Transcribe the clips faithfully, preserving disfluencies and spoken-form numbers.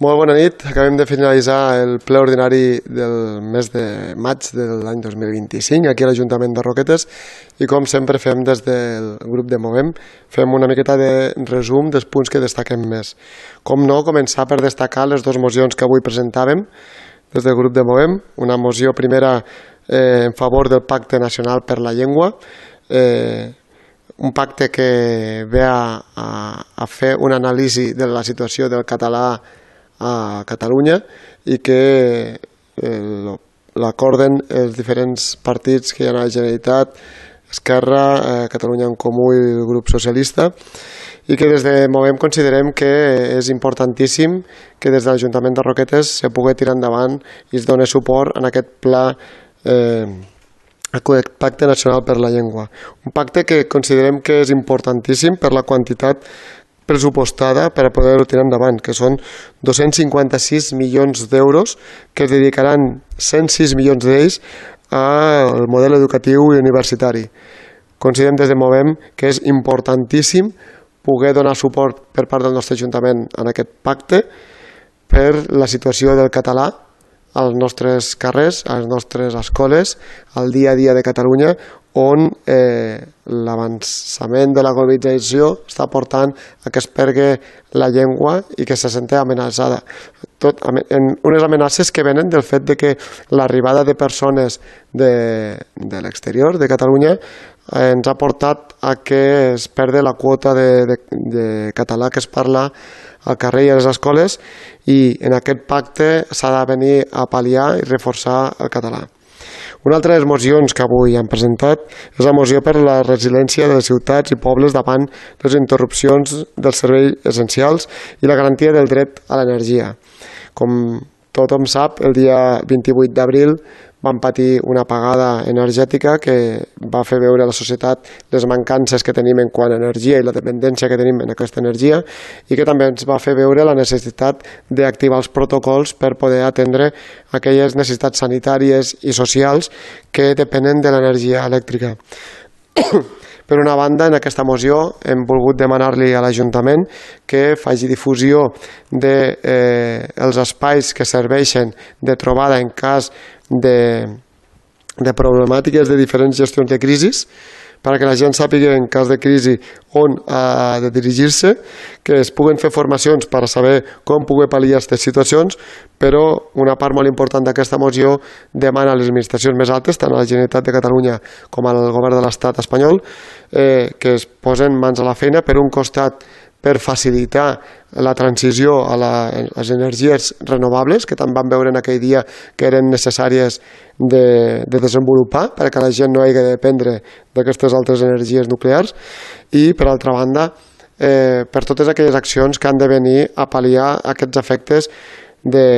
Molt bona nit. Acabem de finalitzar el ple ordinari del mes de maig de l'any dos mil vint-i-cinc aquí a l'Ajuntament de Roquetes i com sempre fem des del grup de Movem, fem una miqueta de resum dels punts que destaquem més. Com no, començar per destacar les dues mocions que avui presentàvem des del grup de Movem. Una moció primera eh, en favor del Pacte Nacional per la Llengua, eh, un pacte que ve a, a, a fer una anàlisi de la situació del català a Catalunya i que eh, l'acorden els diferents partits que hi ha a la Generalitat, Esquerra, eh, Catalunya en Comú i el grup socialista, i que des de Movem considerem que és importantíssim que des de l'Ajuntament de Roquetes se pugui tirar endavant i es doni suport en aquest pla eh, el Pacte Nacional per la Llengua. Un pacte que considerem que és importantíssim per la quantitat pressupostada per a poder-ho tirar endavant, que són dos-cents cinquanta-sis milions d'euros que es dedicaran cent sis milions d'ells al model educatiu i universitari. Considerem des de Movem que és importantíssim poder donar suport per part del nostre Ajuntament en aquest pacte per la situació del català als nostres carrers, a les nostres escoles, al dia a dia de Catalunya, on eh, l'avançament de la globalització està portant a que es perdi la llengua i que se senti amenaçada. Tot, en unes amenaces que venen del fet de que l'arribada de persones de, de l'exterior, de Catalunya, eh, ens ha portat a que es perdi la quota de, de, de català que es parla al carrer i a les escoles, i en aquest pacte s'ha de venir a pal·liar i reforçar el català. Una altra de les mocions que avui han presentat és la moció per la resiliència de les ciutats i pobles davant les interrupcions dels serveis essencials i la garantia del dret a l'energia. Com tothom sap, el dia vint-i-vuit d'abril vam patir una apagada energètica que va fer veure a la societat les mancances que tenim en quant a energia i la dependència que tenim en aquesta energia, i que també ens va fer veure la necessitat d'activar els protocols per poder atendre aquelles necessitats sanitàries i socials que depenen de l'energia elèctrica. Per una banda, en aquesta moció hem volgut demanar-li a l'Ajuntament que faci difusió dels eh, espais que serveixen de trobada en cas de, de problemàtiques de diferents gestions de crisis, perquè la gent sàpiga en cas de crisi on ha de dirigir-se, que es puguen fer formacions per a saber com poder pal·liar aquestes situacions, però una part molt important d'aquesta moció demana a les administracions més altes, tant a la Generalitat de Catalunya com al govern de l'Estat espanyol, eh, que es posen mans a la feina, per un costat per facilitar la transició a, la, a les energies renovables, que tant vam veure en aquell dia que eren necessàries de, de desenvolupar perquè la gent no hagi de dependre d'aquestes altres energies nuclears, i per altra banda eh, per totes aquelles accions que han de venir a pal·liar aquests efectes de,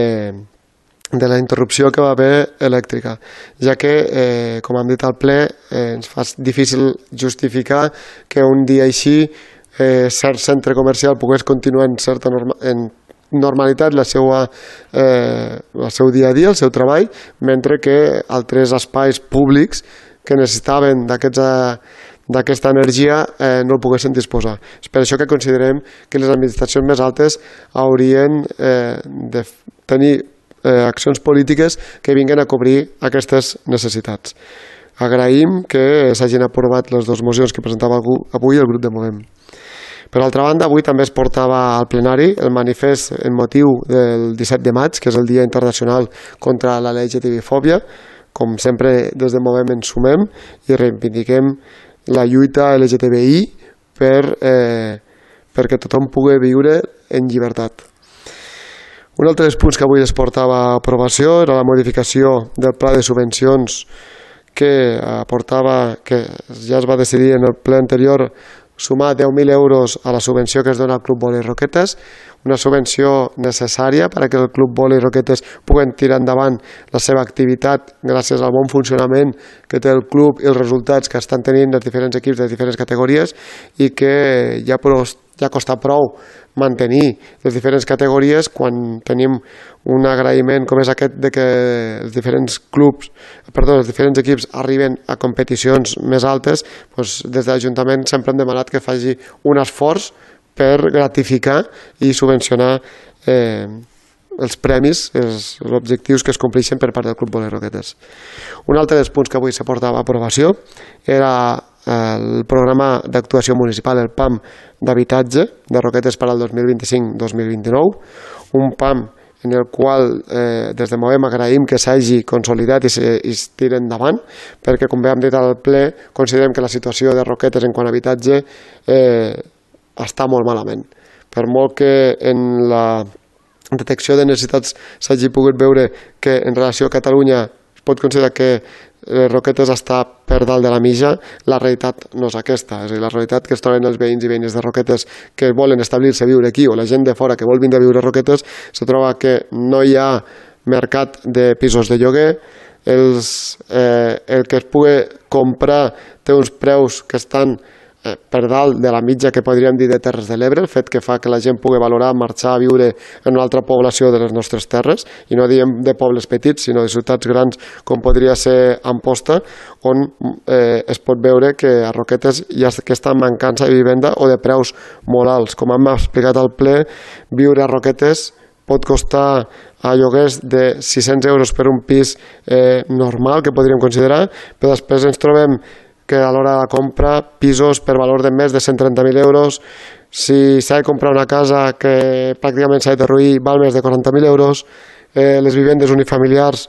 de la interrupció que va haver elèctrica, ja que, eh, com hem dit al ple, eh, ens fa difícil justificar que un dia així Eh, cert centre comercial pogués continuar en certa norma, en normalitat la seva, eh, el seu dia a dia, el seu treball, mentre que altres espais públics que necessitaven d'aquesta energia eh, no el poguessin disposar. És per això que considerem que les administracions més altes haurien eh, de tenir eh, accions polítiques que vinguin a cobrir aquestes necessitats. Agraïm que s'hagin aprovat les dues mocions que presentava avui el grup de Movem. Per altra banda, avui també es portava al plenari el manifest en motiu del disset de maig, que és el Dia Internacional contra la L G T B fòbia. Com sempre, des de Movem ens sumem i reivindiquem la lluita L G T B I per, eh, perquè tothom pugui viure en llibertat. Un altre dels punts que avui es portava a aprovació era la modificació del pla de subvencions que aportava, que ja es va decidir en el ple anterior, sumar deu mil euros a la subvenció que es dona al Club Vòlei Roquetes, una subvenció necessària perquè el Club Vòlei Roquetes pugui tirar endavant la seva activitat gràcies al bon funcionament que té el club i els resultats que estan tenint els diferents equips de diferents categories, i que ja, ja costa prou mantenir les diferents categories quan tenim un agraïment com és aquest de que els diferents clubs, perdó, els diferents equips arriben a competicions més altes. Doncs des de l'Ajuntament sempre hem demanat que faci un esforç per gratificar i subvencionar eh, els premis, els, els objectius que es compleixen per part del Club Voler Roquetes. Un altre dels punts que avui se portava a aprovació era el programa d'actuació municipal, el P A M d'habitatge de Roquetes per al dos mil vint-i-cinc dos mil vint-i-nou, un P A M en el qual eh, des de Movem agraïm que s'hagi consolidat i, se, i es tiri endavant, perquè com bé hem dit al ple, considerem que la situació de Roquetes en quant a habitatge eh, està molt malament. Per molt que en la detecció de necessitats s'hagi pogut veure que en relació a Catalunya es pot considerar que Roquetes està per dalt de la mitja, la realitat no és aquesta. És a dir, la realitat que es troben els veïns i veïnes de Roquetes que volen establir-se a viure aquí, o la gent de fora que vol vindre a viure a Roquetes, se troba que no hi ha mercat de pisos de lloguer, els, eh, el que es pugui comprar té uns preus que estan per dalt de la mitja que podríem dir de Terres de l'Ebre, el fet que fa que la gent pugui valorar marxar a viure en una altra població de les nostres terres, i no diem de pobles petits, sinó de ciutats grans com podria ser Amposta, on eh, es pot veure que a Roquetes hi ha aquesta mancança de vivenda o de preus molt alts. Com hem explicat al ple, viure a Roquetes pot costar a lloguers de sis-cents euros per un pis eh, normal, que podríem considerar, però després ens trobem que a l'hora de la compra, pisos per valor de més de cent trenta mil euros, si s'ha de comprar una casa que pràcticament s'ha de derruir, val més de quaranta mil euros, eh, les vivendes unifamiliars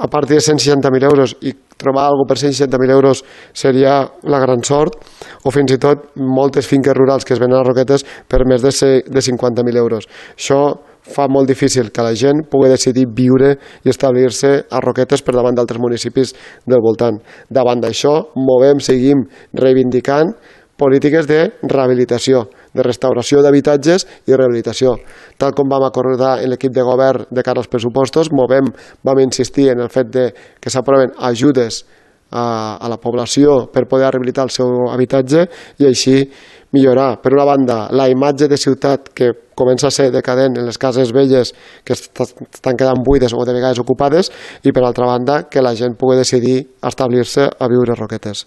a partir de cent seixanta mil euros, i trobar alguna per cent seixanta mil euros seria la gran sort, o fins i tot moltes finques rurals que es venen a Roquetes per més de cinquanta mil euros. Això fa molt difícil que la gent pugui decidir viure i establir-se a Roquetes per davant d'altres municipis del voltant. Davant d'això, Movem, seguim reivindicant polítiques de rehabilitació, de restauració d'habitatges i rehabilitació. Tal com vam acordar en l'equip de govern de cara als pressupostos, Movem vam insistir en el fet de que s'aproven ajudes a, a la població per poder rehabilitar el seu habitatge i així millorar, per una banda, la imatge de ciutat que comença a ser decadent en les cases velles que estan quedant buides o de vegades ocupades, i per altra banda que la gent pugui decidir establir-se a viure a Roquetes.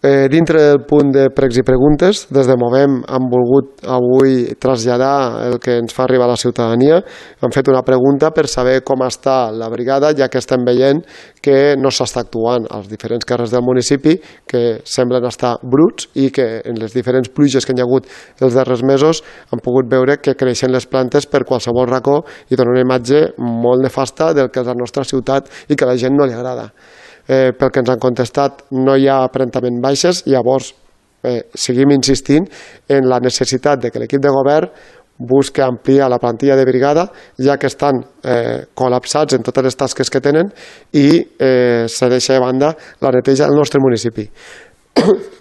Eh, dintre del punt de pregs i preguntes, des de Movem hem volgut avui traslladar el que ens fa arribar a la ciutadania. Hem fet una pregunta per saber com està la brigada, ja que estem veient que no s'està actuant als diferents carrers del municipi, que semblen estar bruts, i que en les diferents pluges que hi ha hagut els darrers mesos hem pogut veure que creixen les plantes per qualsevol racó i donen una imatge molt nefasta del que és la nostra ciutat i que a la gent no li agrada. Eh, pel que ens han contestat, no hi ha aparentament baixes, i llavors eh, seguim insistint en la necessitat de que l'equip de govern busqui ampliar la plantilla de brigada, ja que estan eh, col·lapsats en totes les tasques que tenen, i eh, se deixa de banda la neteja del nostre municipi.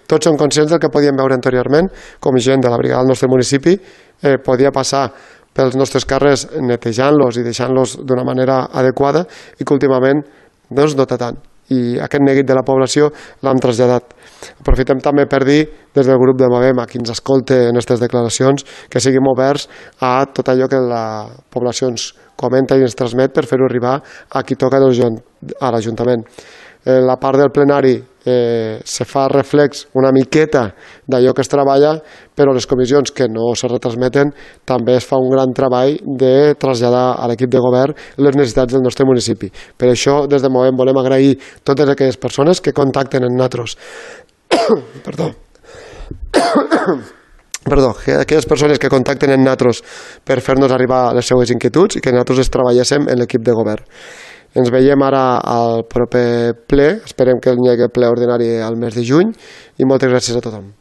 Tots som conscients del que podíem veure anteriorment, com gent de la brigada del nostre municipi eh, podia passar pels nostres carrers netejant-los i deixant-los d'una manera adequada, i que últimament doncs, no té tant. I aquest neguit de la població l'hem traslladat. Aprofitem també per dir des del grup de Movem a qui ens escolta en aquestes declaracions que siguem oberts a tot allò que la població ens comenta i ens transmet per fer-ho arribar a qui toca a l'Ajuntament. En la part del plenari eh, se fa reflex una miqueta d'allò que es treballa, però les comissions que no se retransmeten també es fa un gran treball de traslladar a l'equip de govern les necessitats del nostre municipi. Per això, des de Movem, volem agrair totes aquelles persones que contacten amb nosaltres. Perdó. Perdó, aquelles persones que contacten amb nosaltres per fer-nos arribar les seues inquietuds i que nosaltres es treballéssim en l'equip de govern. Ens veiem ara al proper ple, esperem que hi hagi ple ordinari al mes de juny, i moltes gràcies a tothom.